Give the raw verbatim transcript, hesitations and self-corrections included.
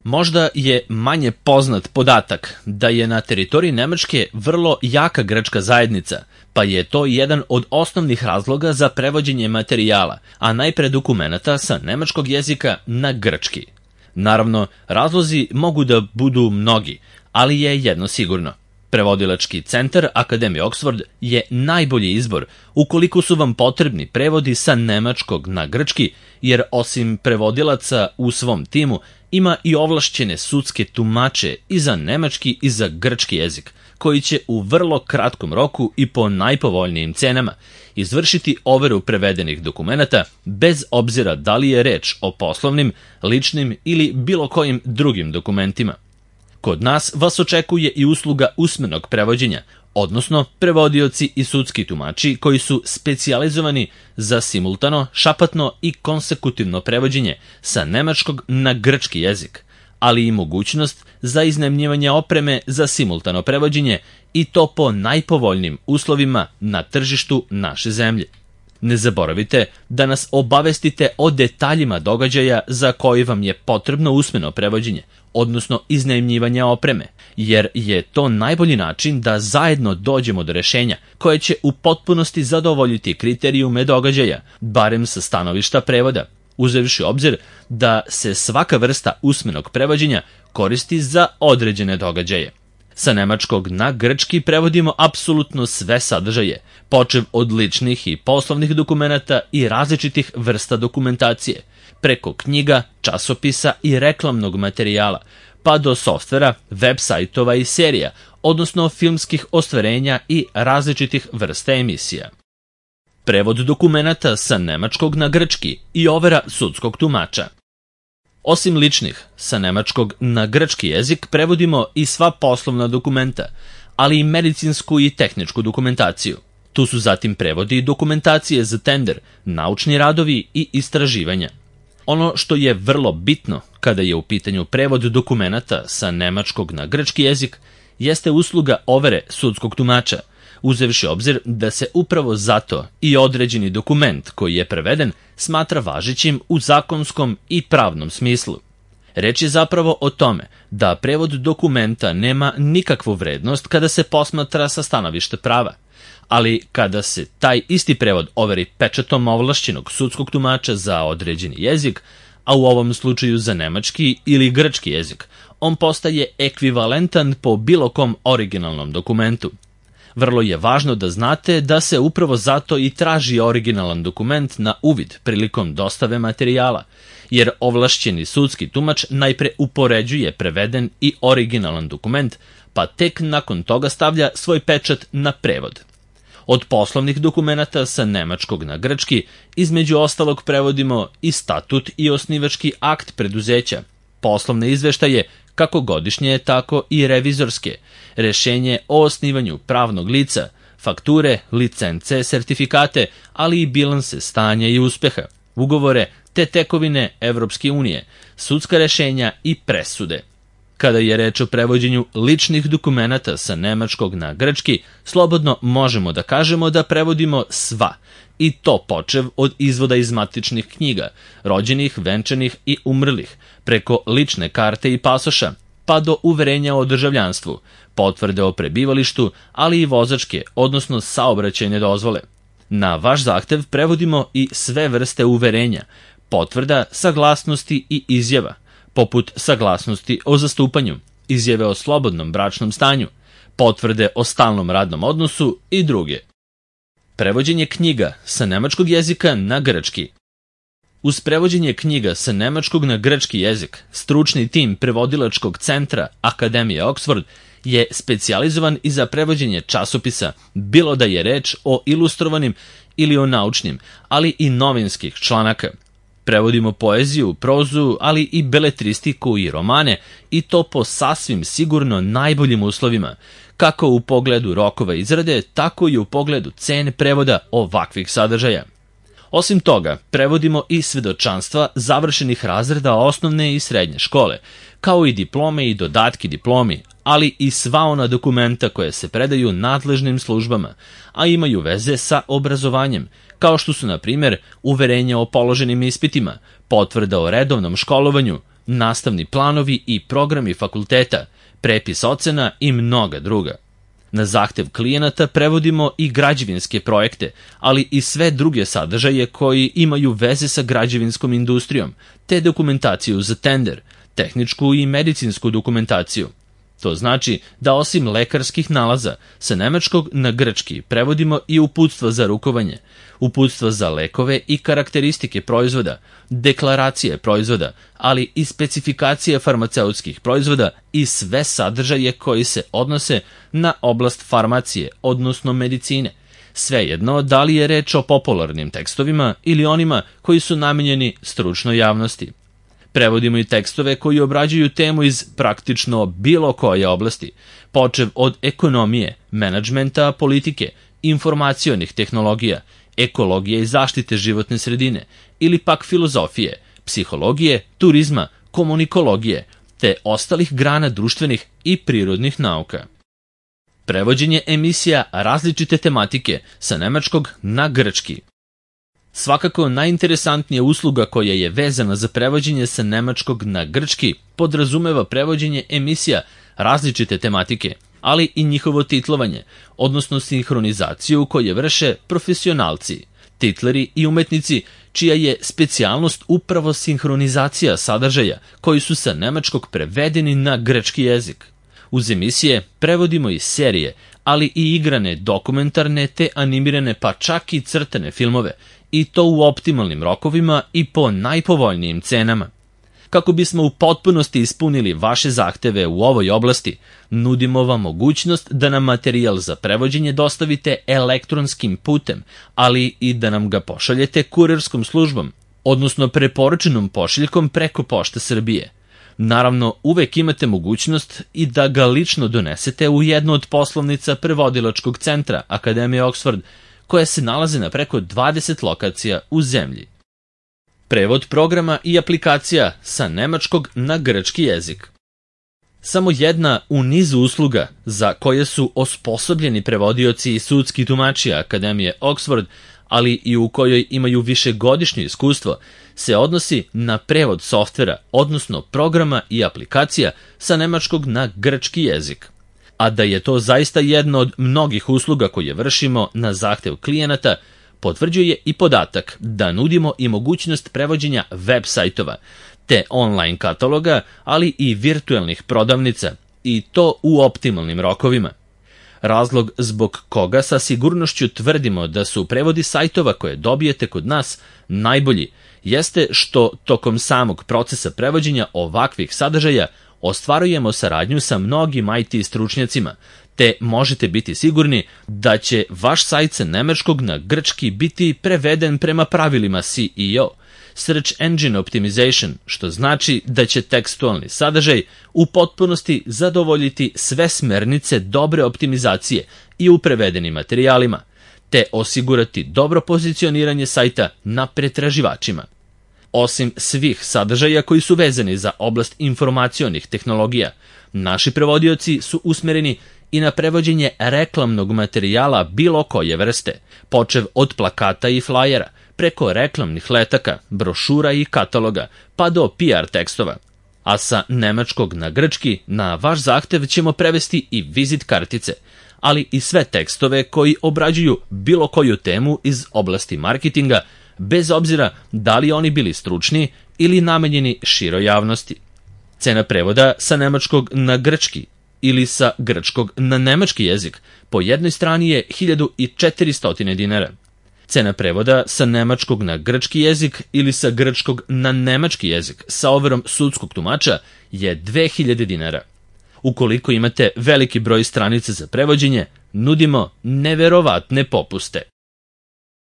Možda je manje poznat podatak da je na teritoriji Nemačke vrlo jaka grčka zajednica, pa je to jedan od osnovnih razloga za prevođenje materijala, a najpre dokumenata sa nemačkog jezika na grčki. Naravno, razlozi mogu da budu mnogi, ali je jedno sigurno. Prevodilački centar Akademije Oxford je najbolji izbor ukoliko su vam potrebni prevodi sa nemačkog na grčki, jer osim prevodilaca u svom timu ima i ovlašćene sudske tumače i za nemački i za grčki jezik, koji će u vrlo kratkom roku i po najpovoljnijim cenama izvršiti overu prevedenih dokumenata bez obzira da li je reč o poslovnim, ličnim ili bilo kojim drugim dokumentima. Kod nas vas očekuje i usluga usmenog prevođenja, odnosno prevodioci i sudski tumači koji su specijalizovani za simultano, šapatno i konsekutivno prevođenje sa nemačkog na grčki jezik, ali i mogućnost za iznajmljivanje opreme za simultano prevođenje i to po najpovoljnijim uslovima na tržištu naše zemlje. Ne zaboravite da nas obavestite o detaljima događaja za koji vam je potrebno usmeno prevođenje, odnosno iznajmljivanje opreme, jer je to najbolji način da zajedno dođemo do rešenja koje će u potpunosti zadovoljiti kriterijume događaja, barem sa stanovišta prevoda, uzevši obzir da se svaka vrsta usmenog prevođenja koristi za određene događaje. Sa nemačkog na grčki prevodimo apsolutno sve sadržaje, počev od ličnih i poslovnih dokumenata i različitih vrsta dokumentacije, preko knjiga, časopisa i reklamnog materijala, pa do softvera, web sajtova i serija, odnosno filmskih ostvarenja i različitih vrsta emisija. Prevod dokumenata sa nemačkog na grčki i overa sudskog tumača. Osim ličnih, sa nemačkog na grčki jezik prevodimo i sva poslovna dokumenta, ali i medicinsku i tehničku dokumentaciju. Tu su zatim prevodi dokumentacije za tender, naučni radovi i istraživanja. Ono što je vrlo bitno kada je u pitanju prevod dokumenata sa nemačkog na grčki jezik jeste usluga overe sudskog tumača, uzevši obzir da se upravo zato i određeni dokument koji je preveden smatra važećim u zakonskom i pravnom smislu. Reč je zapravo o tome da prevod dokumenta nema nikakvu vrednost kada se posmatra sa stanovišta prava, ali kada se taj isti prevod overi pečatom ovlašćenog sudskog tumača za određeni jezik, a u ovom slučaju za nemački ili grčki jezik, on postaje ekvivalentan po bilo kom originalnom dokumentu. Vrlo je važno da znate da se upravo zato i traži originalan dokument na uvid prilikom dostave materijala, jer ovlašćeni sudski tumač najpre upoređuje preveden i originalan dokument, pa tek nakon toga stavlja svoj pečat na prevod. Od poslovnih dokumenata sa nemačkog na grčki, između ostalog prevodimo i statut i osnivački akt preduzeća, poslovne izveštaje, kako godišnje, tako i revizorske, rešenje o osnivanju pravnog lica, fakture, licence, sertifikate, ali i bilanse stanja i uspeha, ugovore te tekovine Evropske unije, sudska rešenja i presude. Kada je reč o prevođenju ličnih dokumenata sa nemačkog na grčki, slobodno možemo da kažemo da prevodimo sva, i to počev od izvoda iz matičnih knjiga, rođenih, venčanih i umrlih, preko lične karte i pasoša, pa do uverenja o državljanstvu, potvrde o prebivalištu, ali i vozačke, odnosno saobraćajne dozvole. Na vaš zahtev prevodimo i sve vrste uverenja, potvrda, saglasnosti i izjava, poput saglasnosti o zastupanju, izjave o slobodnom bračnom stanju, potvrde o stalnom radnom odnosu i druge. Prevođenje knjiga sa nemačkog jezika na grčki. Uz prevođenje knjiga sa nemačkog na grčki jezik, stručni tim prevodilačkog centra Akademije Oxford je specijalizovan i za prevođenje časopisa, bilo da je reč o ilustrovanim ili o naučnim, ali i novinskih članaka. Prevodimo poeziju, prozu, ali i beletristiku i romane, i to po sasvim sigurno najboljim uslovima, kako u pogledu rokova izrade, tako i u pogledu cene prevoda ovakvih sadržaja. Osim toga, prevodimo i svedočanstva završenih razreda osnovne i srednje škole, kao i diplome i dodatki diplomi, ali i sva ona dokumenta koje se predaju nadležnim službama, a imaju veze sa obrazovanjem, kao što su, na primjer, uverenja o položenim ispitima, potvrda o redovnom školovanju, nastavni planovi i programi fakulteta, prepis ocena i mnoga druga. Na zahtev klijenata prevodimo i građevinske projekte, ali i sve druge sadržaje koji imaju veze sa građevinskom industrijom, te dokumentaciju za tender, tehničku i medicinsku dokumentaciju. To znači da osim lekarskih nalaza sa nemačkog na grčki prevodimo i uputstva za rukovanje, uputstva za lekove i karakteristike proizvoda, deklaracije proizvoda, ali i specifikacije farmaceutskih proizvoda i sve sadržaje koji se odnose na oblast farmacije, odnosno medicine. Svejedno da li je reč o popularnim tekstovima ili onima koji su namenjeni stručnoj javnosti. Prevodimo i tekstove koji obrađuju temu iz praktično bilo koje oblasti, počev od ekonomije, menadžmenta, politike, informacionih tehnologija, ekologije i zaštite životne sredine, ili pak filozofije, psihologije, turizma, komunikologije, te ostalih grana društvenih i prirodnih nauka. Prevođenje emisija različite tematike sa nemačkog na grčki. Svakako najinteresantnija usluga koja je vezana za prevođenje sa nemačkog na grčki podrazumeva prevođenje emisija različite tematike, ali i njihovo titlovanje, odnosno sinhronizaciju koje vrše profesionalci, titleri i umetnici, čija je specijalnost upravo sinhronizacija sadržaja koji su sa nemačkog prevedeni na grčki jezik. Uz emisije prevodimo i serije, ali i igrane, dokumentarne te animirane pa čak i crtane filmove, i to u optimalnim rokovima i po najpovoljnijim cenama. Kako bismo u potpunosti ispunili vaše zahteve u ovoj oblasti, nudimo vam mogućnost da nam materijal za prevođenje dostavite elektronskim putem, ali i da nam ga pošaljete kurirskom službom, odnosno preporučenom pošiljkom preko Pošte Srbije. Naravno, uvek imate mogućnost i da ga lično donesete u jednu od poslovnica prevodilačkog centra Akademije Oxford, koja se nalaze na preko dvadeset lokacija u zemlji. Prevod programa i aplikacija sa nemačkog na grčki jezik. Samo jedna u nizu usluga za koje su osposobljeni prevodioci i sudski tumači Akademije Oxford, ali i u kojoj imaju višegodišnje iskustvo, se odnosi na prevod softvera, odnosno programa i aplikacija sa nemačkog na grčki jezik. A da je to zaista jedna od mnogih usluga koje vršimo na zahtev klijenata, potvrđuje i podatak da nudimo i mogućnost prevođenja web sajtova, te online kataloga, ali i virtuelnih prodavnica, i to u optimalnim rokovima. Razlog zbog koga sa sigurnošću tvrdimo da su prevodi sajtova koje dobijete kod nas najbolji, jeste što tokom samog procesa prevođenja ovakvih sadržaja ostvarujemo saradnju sa mnogim I T stručnjacima, te možete biti sigurni da će vaš sajt sa nemačkog na grčki biti preveden prema pravilima S E O, Search Engine Optimization, što znači da će tekstualni sadržaj u potpunosti zadovoljiti sve smernice dobre optimizacije i u prevedenim materijalima, te osigurati dobro pozicioniranje sajta na pretraživačima. Osim svih sadržaja koji su vezani za oblast informacionih tehnologija, naši prevodioci su usmereni i na prevođenje reklamnog materijala bilo koje vrste, počev od plakata i flajera, preko reklamnih letaka, brošura i kataloga, pa do P R tekstova. A sa nemačkog na grčki na vaš zahtev ćemo prevesti i vizit kartice, ali i sve tekstove koji obrađuju bilo koju temu iz oblasti marketinga, bez obzira da li oni bili stručni ili namenjeni široj javnosti. Cena prevoda sa nemačkog na grčki ili sa grčkog na nemački jezik po jednoj strani je hiljadu četiristo dinara. Cena prevoda sa nemačkog na grčki jezik ili sa grčkog na nemački jezik sa overom sudskog tumača je dve hiljade dinara. Ukoliko imate veliki broj stranica za prevođenje, nudimo neverovatne popuste.